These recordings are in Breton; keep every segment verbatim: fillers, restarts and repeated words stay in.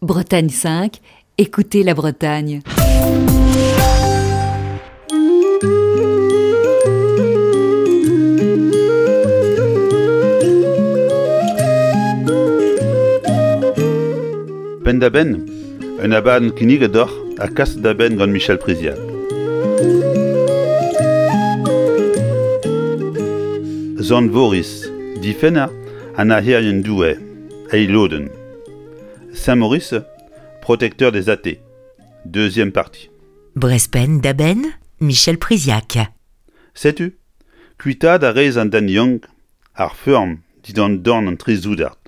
Bretagne cinq, écoutez la Bretagne. Penn-da-benn, un abadenn kinniget deoc'h ha kaset da benn gant Michel Priziac. Sant Voris, difenner an nac'herien Doue, eil lodenn. Saint-Maurice, protecteur des athées. Deuxième partie. Brezh penn-da-benn, Michel Priziac. Setu, kuitaat a rez an den yaouank ar feurm dindan dorn an tri soudard.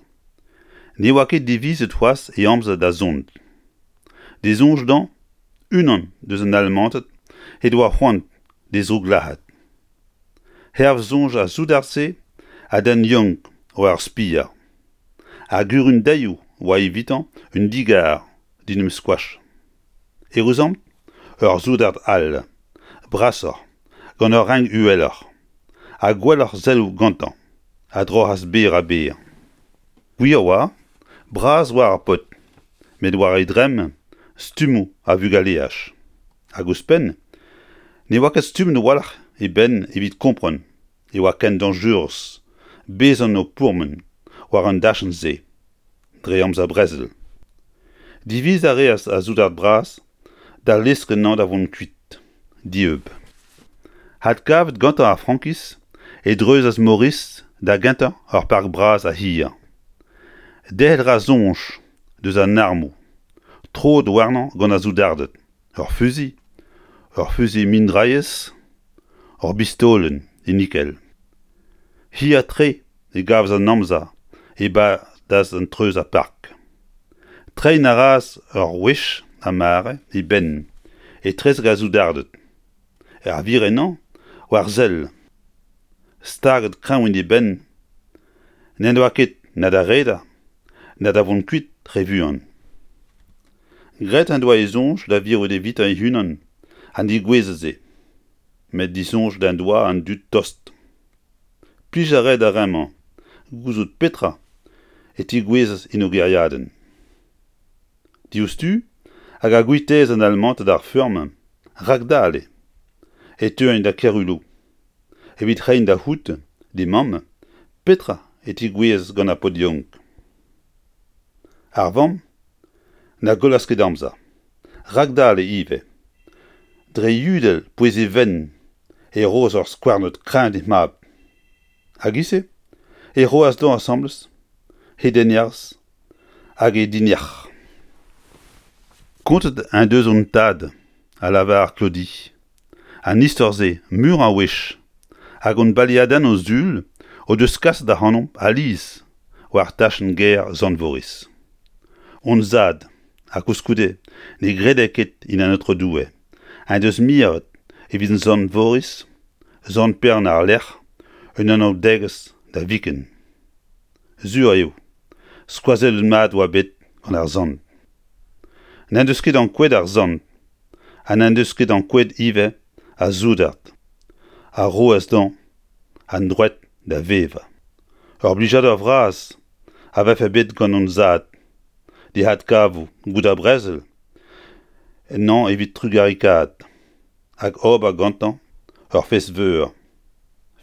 Ne oa ket divizet c'hoazh e amzer da zont. D'e soñj dezhañ, unan deus an Almanted he doa c'hoant d'e zrouklazhañ. Hervez soñj ar soudard-se, an den yaouank oa ur spier. Ar gurundailhoù oa evitañ un digar d'en em skoach. Eüruzamant, ur soudard all, brasoc'h, gant ur renk uheloc'h, ha gwelloc'h selloù gantañ, a droc'has berr-ha-berr. Gwir oa, bras oa ar paotr, met war e dremm stummoù a vugaleaj. Hag ouzhpenn, ne oa ket stummet a-walc'h e benn evit kompren e oa ken dañjerus bezañ o pourmen war an dachenn-se dre amzer brezel. Diviz a reas ar soudard bras da leuskel anezhañ da vont kuit, dieub. Adkavet gantañ ar frankiz e dreuzas Maurice da gentañ ur park bras ha hir. Derc'hel a ra soñj deus an armoù, troet warnañ gant ar soudarded, ur fuzuilh, ur fuzuilh-mindrailhez, ur bistolenn e nikel. Hir-tre e gavas an amzer e-badas an treuz ar park. Treiñ a reas ur wech ar mare e benn etrezek ar soudarded, er wir ennañ war sell, staget kreñv en e benn, n'en doa ket na da redek na da vont kuit re vuan. Graet en doa e soñj da virout evitañ e-unan an degouezh-se, met disoñjet en doa an dud tost. Plij a rae d'ar re-mañ gouzout petra e tegouezhas en o gêriadenn. Diouzhtu hag a guitaas an Almanted ar feurm rakdale e teuint da Kerhulo evit reiñ da c'hoût d'he mamm petra e tegouezhas gant ar paotr yaouank. Ar vamm na gollas ket amzer, rakdale ivez. Dre yudell pouez e benn e roas ur skouarnod kreñv d'he mab. Hag e-se e roas dezhañ asambles he dennerzh hag he dinec'h. Kontet en deus hon tad, a lavar Claudie, an istor-se meur a wech, hag hon baleadennoù sul o deus kaset ac'hanomp alies war tachenn gêr Sant-Voris. Hon zad, ha koulskoude ne grede ket en an Aotrou Doue, en deus miret evit Sant Voris, Sant Pêr àr-lerc'h, un anaoudegezh da viken. Sur eo, skoazellet mat oa bet gant ar sant. N'en deus ket ankouaet ar sant, ha n'en deus ket ankouaet ivez ar soudard, a roas dezhañ an droad da vevañ. Ur blijadur vras a vefe bet gant hon zad d'e adkavout goude ar brezel ennañ evit trugarekaat hag ober gantañ ur fest veur,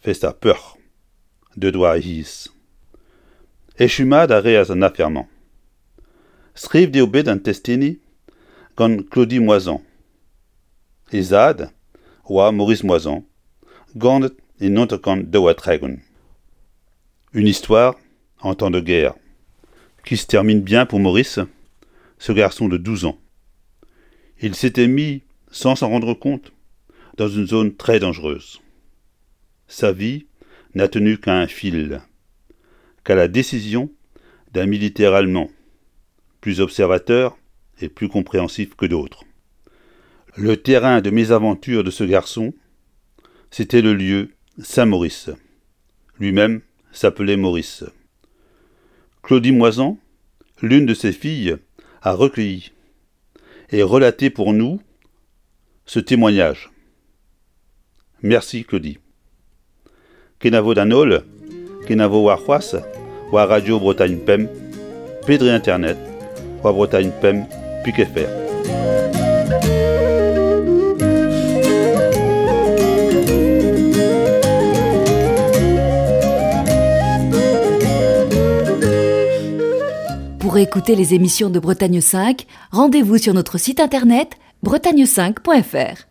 fest ar peoc'h, deuet war e c'hiz. Echu mat a reas an afer-mañ. Skrivet eo bet an testeni gant Claudie Moisan. He zad oa Maurice Moisan, ganet e naontek daou ha tregont. Une histoire en temps de guerre, qui se termine bien pour Maurice, ce garçon de douze ans. Il s'était mis, sans s'en rendre compte, dans une zone très dangereuse. Sa vie n'a tenu qu'à un fil, qu'à la décision d'un militaire allemand, plus observateur et plus compréhensif que d'autres. Le terrain de mésaventure de ce garçon, c'était le lieu Saint-Maurice. Lui-même s'appelait Maurice. Claudie Moisan, l'une de ses filles, a recueilli et relaté pour nous ce témoignage. Merci Claudie. Kenavo d'an holl, kenavo warc'hoazh, war Radio Bretagne Pemp, pe dre internet, war Bretagne pemp pik F R. Pour écouter les émissions de Bretagne cinq, rendez-vous sur notre site internet bretagne cinq point F R.